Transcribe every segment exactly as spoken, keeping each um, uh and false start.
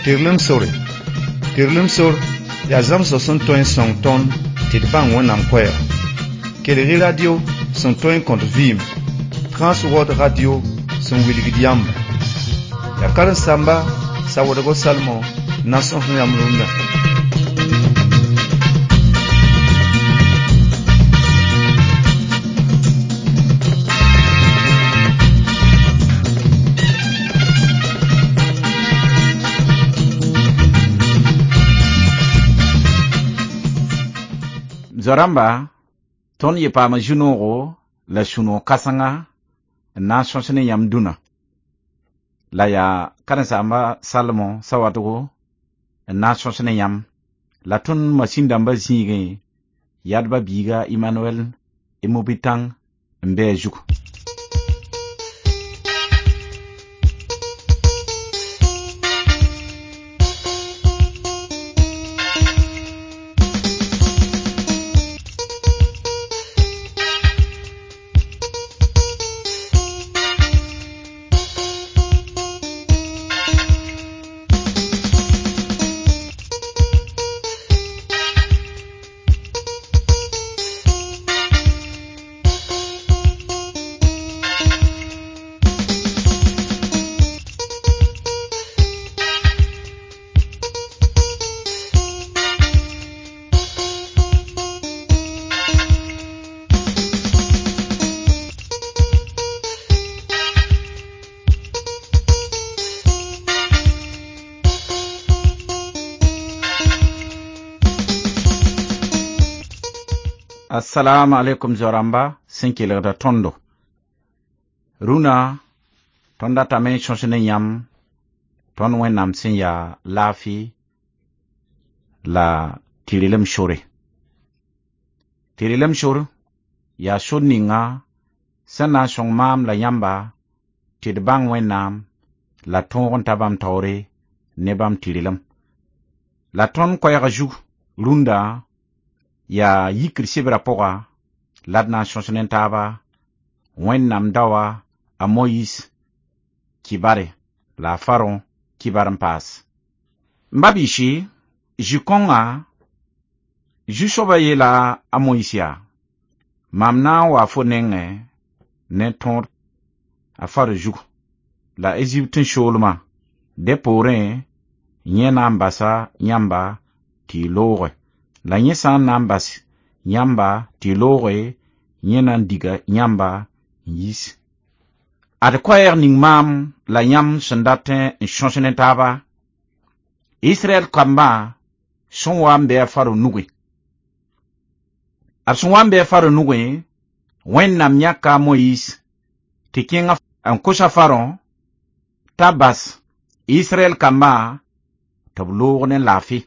Tɩrlem sore. Tɩrlem sor yaa zãmsg sẽn tõe n sõng tõnd tɩ d bãng Wẽnnaam koɛɛga. Kelg-y radio sẽn tõe n kõt vɩɩm, Transworld Radio sẽn wilgd yãmba. Yaa karen-saamba Sawadogo Salmon n na n sõs yãmb rũndã. Zoa-rãmba, tõnd yɩ paama zu-noogo la sũ-noog kãsenga n na n sõs ne yãmb dũnã. La yaa karen-saamba Salmon Sawadogo n na n sõs ne yãmb. La tõnd masĩn-dãmbã zĩigẽ yadba biiga Emmanuel Emobitãng n be a zugu. Assalamu alaikum zoa-rãmba sẽn kelgda tõndo. Rũnã tõnd datame n sõs ne yãmb tõnd Wẽnnaam sẽn yaa laafɩ la tɩrlem sore. Tɩrlem sor yaa sor ninga sẽn na n sõng maam la yãmba tɩ d bãng Wẽnnaam la tõog n ta bãmb taoore ne bãmb tɩrlem. La tõnd koɛɛg zug rũndã yaa yikr sebrã pʋga la d na n sõs ne taaba Wẽnnaam daoa a Moyiis kibare la a Farõ kibar n paas. M ba biisi, zu-kõnga zu-soabã yeela a Moyiis yaa: mam na n waa fo nengẽ ne tõod a Faro zugu la Ezipt soolmã. Dẽ poorẽ yẽ na n basa yãmba tɩ y looge. La yẽ sã n na n bas yãmba tɩ y looge, yẽ na n diga yãmba n yis. Ad koɛɛg ning maam la yãmb sẽn dat n sõs ne taaba, Israɛl kambã sẽn wa n be a Faro nugẽ. B sẽn wa n be a Faro nugẽ, Wẽnnaam yãka a Moyiis tɩ kẽng n kos a Farõ t'a bas Israɛl kambã tɩ b loog ne laafɩ.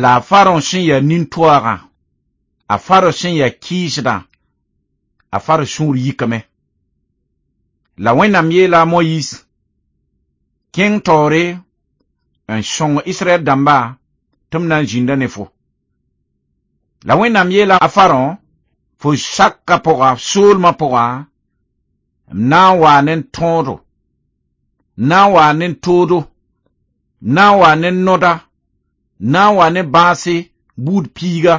La a Farõ sẽn yaa nin-toaagã, a Farõ sẽn yaa kɩɩsdã, a Farõ sũur yikame. La Wẽnnaam yeela a Moyiis: kẽng taoore n sõng Israɛl dãmba tɩ m na n zĩnda ne fo. La Wẽnnaam yeela a Farõ: fo sakã pʋga, soolmã pʋga, m na n waa ne tõodo, m na n waa ne toodo, m na n waa ne noda, m na n wa ne bãase buud piiga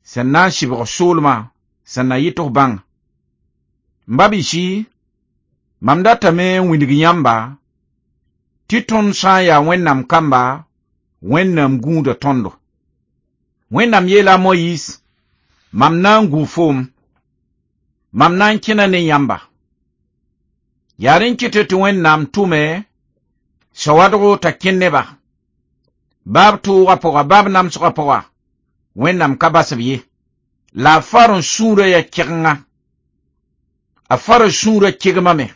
sẽn na n sɩbg soolmã sẽn na yɩ tɩ f bãng. M ba biisi, mam datame n wilg yãmba tɩ tõnd sã n yaa Wẽnnaam kamba, Wẽnnaam gũuda tõndo. Wẽnnaam yeela a Moyiis: mam na n gũ foom, mam na n kẽna ne yãmba. Yaa rẽ n kɩt tɩ Wẽnnaam tʋme sawadgo t'a kẽ neba. Baab toogã pʋga, baab namsgã pʋga, Wẽnnaam ka bas b ye. La a Farõ sũurã yaa kɩgenga. A Farõ sũurã kegmame.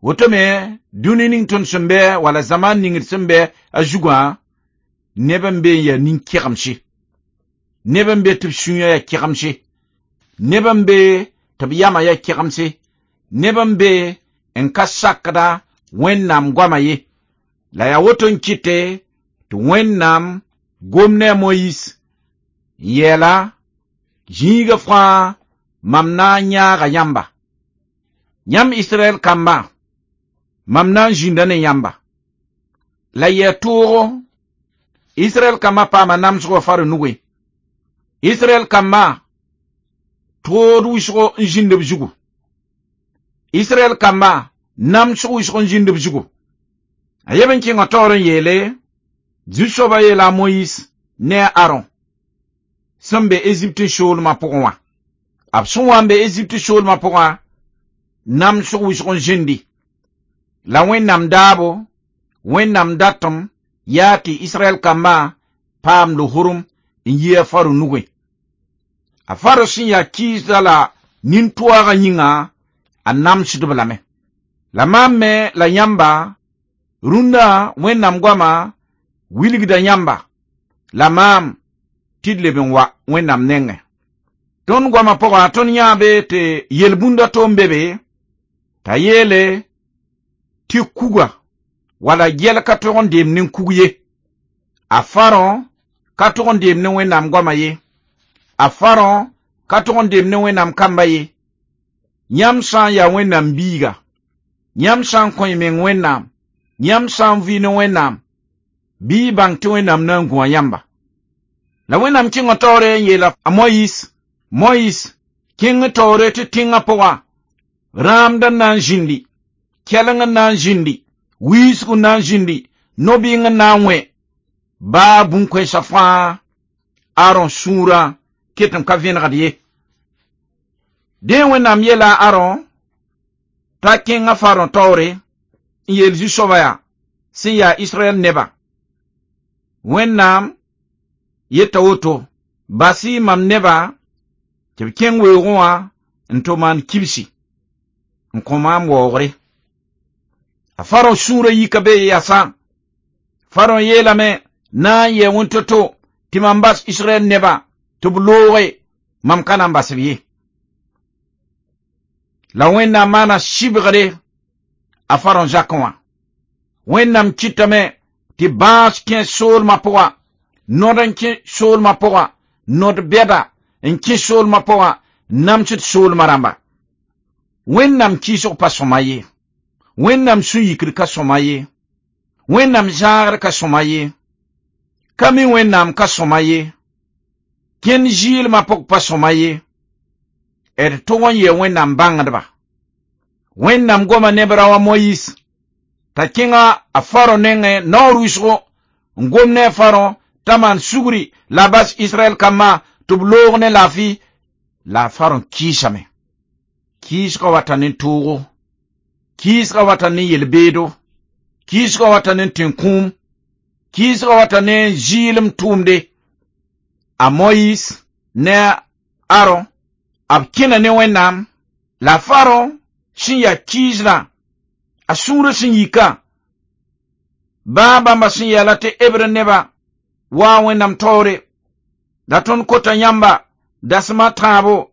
Woto me, dũni ning tõnd sẽn bɩ wala zamaan ning d sẽn bɩ a zugã, neb n be n yaa nin-kegemse. Neb n be tɩ b sũyã yaa kegemse. Neb n be tɩ b yamã yaa kegemse. Neb n be n ka sakda Wẽnnaam goama ye. La yaa woto n kɩte tɩ Wẽnnaam gom ne a Moyiis n yeela: zĩigã fãa mam na n yãaga yãmba. Yãmb Israɛl kambã, mam na n zĩnda ne yãmba. La yɛ toogo Israɛl kambã paama namsgɔ faro nugẽ. Israɛl kambã tood wʋsgo n zĩnd b zugu. Israɛl kambã namsg wʋsg n zĩnd b zugu. A yeb n kẽngã taoor n yeele, Zu-soabã yeela a Moyiis ne a Aron sẽn be Ezipte soolmã pʋgẽ wã. B sẽn wa n be Ezipte soolmã pʋgã, namsg wʋsg n zĩndi. La Wẽnnaam daabo, Wẽnnaam datem yaa tɩ Israɛl kambã paam lohorem n yi a Faro nugẽ. A Faro sẽn yaa kɩɩsda la nin-toaagã yĩnga, a namsd-b lame. La maam me la yãmba, rũndã Wẽnnaam goama wilgda yãmba, la maam tɩ d leb n wa Wẽnnaam nengẽ. Tõnd goamã pʋga tõnd yãabe tɩ yel-bũnda to n be be, t'a yeele tɩ kuga wala gɛl ka tog n deem ne kug ye. A Farõ ka tog n deem ne Wẽnnaam goama ye. A Farõ ka tog n deem ne Wẽnnaam kamba ye. Yãmb sã n yaa Wẽnnaam biiga, yãmb sã n kõ y meng Wẽnnaam, yãmb sã n vɩ ne Wẽnnaam, bɩ y bãng tɩ Wẽnnaam na n gũa yãmba. La Wẽnnaam kẽngã taoore n yeela a Moyiis, Moyiis, kẽng taoore tɩ tẽngã pʋga, rãamd n na n zĩndi, kɛleng n na n zĩndi, wiisg n na n zĩndi, no-bɩng n na n wẽ, baa bũn-koɛɛsã fãa Aron sũurã ket n ka vẽnegd ye. Dẽ Wẽnnaam yeela a Aron t'a kẽng a Farõ taoore n yeel zu-soabã yaa sẽn yaa Israɛl neba. Wẽnnaam yeta woto, bas-y mam neba tɩ b kẽng weoogẽ wã n tɩ maan kibsi n kõ maam waoogre. A Farõ sũurã yika be yasã. Farõ yeelame na n yɛ wẽn-to-to tɩ mam bas Israɛl neba tɩ b looge, mam ka na n bas b ye. La Wẽnnaam maana sɩbgre a Farõ zakẽ wã. Wẽnnaam kɩtame tɩ bãas kẽ soolmã pʋga, nod n kẽ soolmã pʋga, nod bɛda n kẽ soolmã pʋga, namsd soolmã rãmba. Wẽnnaam kɩɩsg pa sõma ye. Wẽnnaam sũ-yikr ka sõma ye. Wẽnnaam zãagr ka sõma ye. Ka mi Wẽnnaam ka sõma ye. Kẽnd zɩɩlmã pʋg pa sõma ye. D tog n yɩ Wẽnnaam bãngdba. Wẽnnaam goma ne b rao a Moyiis t'a kẽnga a Farõ nengẽ naoor wʋsgo n gom ne a Farõ t'a maan sugri la a bas Israɛl kambã tɩ b loog ne laafɩ la a Farõ kɩɩsame. Kɩɩsgã wata ne toogo, kɩɩsgã wata ne yel-beedo, kɩɩsgã wata ne tẽn-kũum, kɩɩsgã wata ne zɩɩlem tʋʋmde. A Moyiis ne a Aron b kẽna ne Wẽnnaam, la Farõ sẽn yaa kɩɩsdã, a sũurã sẽn yika, baa bãmba sẽn yaala tɩ Hebre neba wa Wẽnnaam taoore, la tõnd kota yãmba dasma tãabo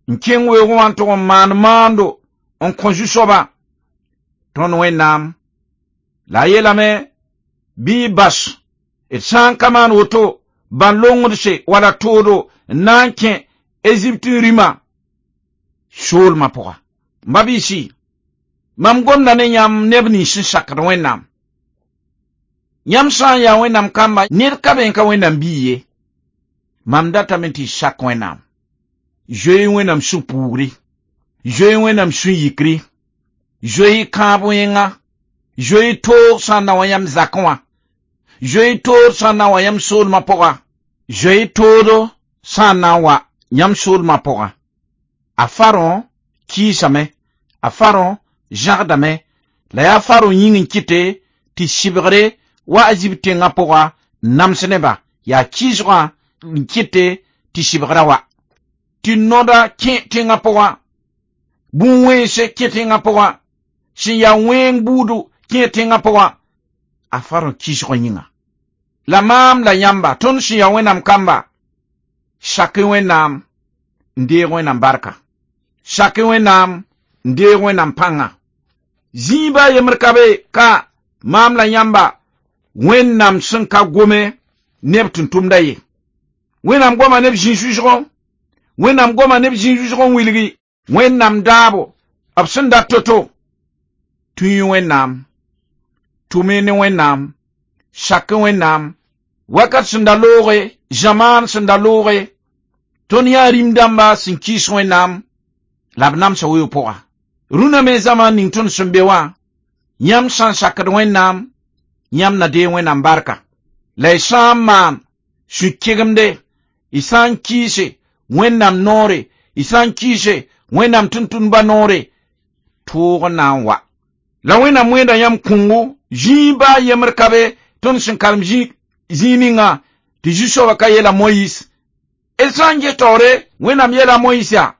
n kẽng weoogẽ wã n tʋg n maan maando n kõ zu-soabã tõnd Wẽnnaam. La a yeelame bɩ y bas d sã n ka maan woto bãn-longdse wala toodo n na n kẽ Ezipte rĩmã soolmã pʋga. M ba-biisi, mam gomda ne yãmb neb nins sẽn sakd Wẽnnaam. Yãmb sã n yaa Wẽnnaam kamba, ned ka be n ka Wẽnnaam biig ye. Mam datame tɩ y sak Wẽnnaam. Zoe Wẽnnaam sũ-puugri, zoe Wẽnnaam sũ-yikri, zoe kãab wẽnga, zoe toog sã n na wa yãmb zakẽ wã, zoe tood sã n na wa yãmb soolmã pʋga, zoe toodo sã n na n wa yãmb soolmã pʋga. A Farõ kɩɩsame, a Farõ zãgdame, la yaa Farõ yĩng n kɩte tɩ sɩbgre wa a Ezipte tẽngã pʋga n nams neba, yaa kɩɩsgã n kɩte tɩ sɩbgrã wa. Tɩ noda kẽ tẽngã pʋga, bũn-wẽnse kẽ tẽngã pʋga, sẽn yaa wẽng buudu kẽ tẽngã pʋga, a Farõ kɩɩsgã yĩnga. La maam la yãmba, tõnd sẽn yaa Wẽnnaam kamba, sak Wẽnnaam n deeg Wẽnnaam barka. Sak Wẽnnaam n deeg Wẽnnaam pãnga. Zĩiba a yembr ka be ka maam la yãmba Wẽnnaam sẽn ka gome neb tʋm-tʋmda ye. Wẽnnaam goma neb zĩ-susgõ, Wẽnnaam goma neb zĩ-susgõ n wilgi Wẽnnaam daabo b sẽn dat to-to. Tũ-y Wẽnnaam, Tʋm-y ne Wẽnnaam, sak Wẽnnaam, wakat sẽn da looge, zamaan sẽn da looge, tõnd yaa rĩm-dãmba sẽn kɩɩs Wẽnnaam, la b namsa weoog pʋga. Rũnã me zamaan ning tõnd sẽn be wã, yãmb sã n sakd Wẽnnaam, yãmb na deeg Wẽnnaam barka. La y sã n maan sũ-kegemde, y sã n kɩɩse Wẽnnaam noore, y sã n kɩɩse Wẽnnaam tʋmtʋmdbã noore, toog n na n wa. La Wẽnnaam wẽeda yãmb kõngo, zĩig baa yembr ka be tõnd sẽn karem zĩig ninga tɩ Zu-soabã ka yeela Moyiis. D sã n ges taoore, Wẽnnaam yeela Moyiis yaa,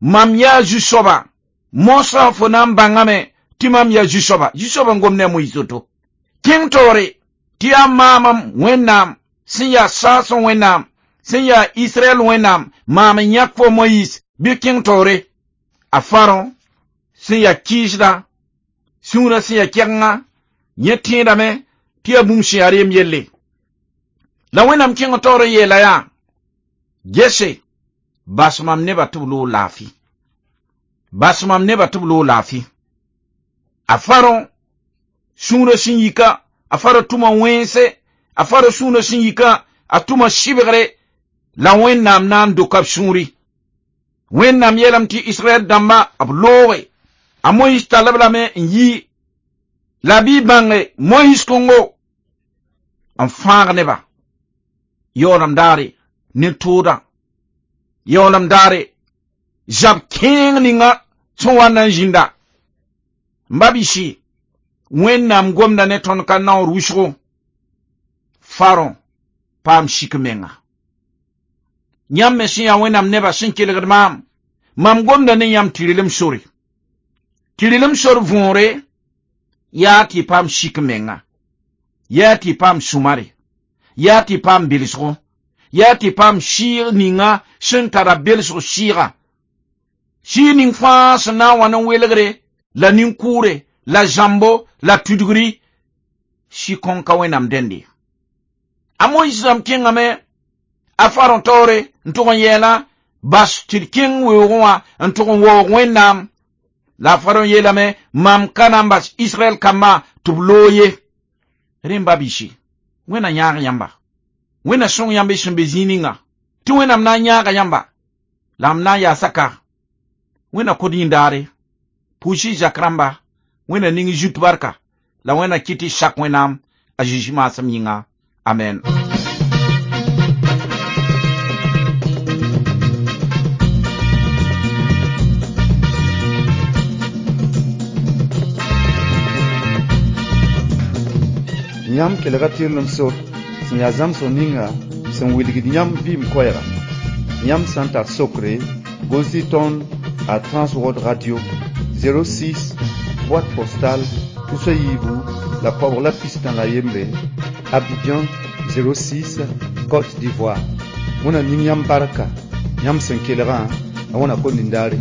mam yaa Zu-soaba, mosã fo na n bãngame tɩ mam yaa Zu-soaba. Zu-soabã n gom ne a Moyiis woto. Kẽng taoore tɩ yaa maamam Wẽnnaam sẽn yaa saasẽ Wẽnnaam, sẽn yaa Israɛl Wẽnnaam, maam n yãk fo Moyiis, bɩ kẽng taoore. A Farõ sẽn yaa kɩɩsda, sũurã sẽn yaa kɛgenga, yẽ tẽedame tɩ yaa bũmb sẽn yaa reem yelle. La Wẽnnaam kẽng taoor n yeela yaa, gese, bas mam nebã tɩ b loog laafɩ. Bas mam nebã tɩ b loog laafɩ. A Farõ sũurã sẽn yika, a Farõ tʋma wẽnse, a Farõ sũurã sẽn yika, a tʋma sɩbgre, la Wẽnnaam na n doka b sũuri. Wẽnnaam yeelame tɩ Israɛl dãmba b looge. A Moyiis tall-b lame n yi, la bɩ y bãnge Moyiis kõngo n fãag nebã. Yaoolem daare ne tooda, yaoolem daare zab kẽeng ninga sẽn wa na n zĩnda. M ba bɩ Wẽnnaam gomda ne tõnd ka naoor wʋsgo. Farõ paam sik menga. Yãmb me sẽn yaa Wẽnnaam nebã sẽn kelgd maam, mam gomda ne yãmb tɩ relem sore. Tɩ relem sor võore yaa tɩ y paam sik menga, yaa tɩ y paam sũmare, yaa tɩ y paam belsgo, yaa tɩ y paam sɩɩg ninga sẽn tara belsg sɩɩga. Sɩɩg ning fãa sẽn na n wa ne welgre, la nin-kʋʋre, la zãmbo, la tudgri, sɩ kõn ka Wẽnnaam dẽnde. A Moyiis rãmb kẽngame a Farõ taoore n tʋg n yɛɛla, bas tɩ d kẽng weoogẽ wã n tʋg n waoog Wẽnnaam. La a Farõ yeelame, mam ka na n bas Israɛl kambã tɩ b loog ye. Rẽmba bɩse, Wẽnna yãag yãmba. Wẽnna sõng yãmb y sẽn be zĩig ninga. Tɩ Wẽnnaam na n yãaga yãmba, la m na n yaasa ka. Wẽnna kod yĩndaare, pʋʋs-y zak rãmba, Wẽnna ning y zut barka, la Wẽnna kɩt y sak Wẽnnaam a Zezi maasem yĩnga. Amen. Yãmb kelga tɩrlem sor sẽn yaa zãmsg ninga sẽn wilgd yãmb vɩɩm koɛɛga. Yãmb sã n tar sokre, gʋls-y tõnd a Transworld Radio zéro six, boîte postale tus a yiibu la koabg la pistã la yembre, Abidjan zéro six, Côte d'Ivoire. Wẽnna ning yãmb barka, yãmb sẽn kelgã, la wẽna kom nindaare.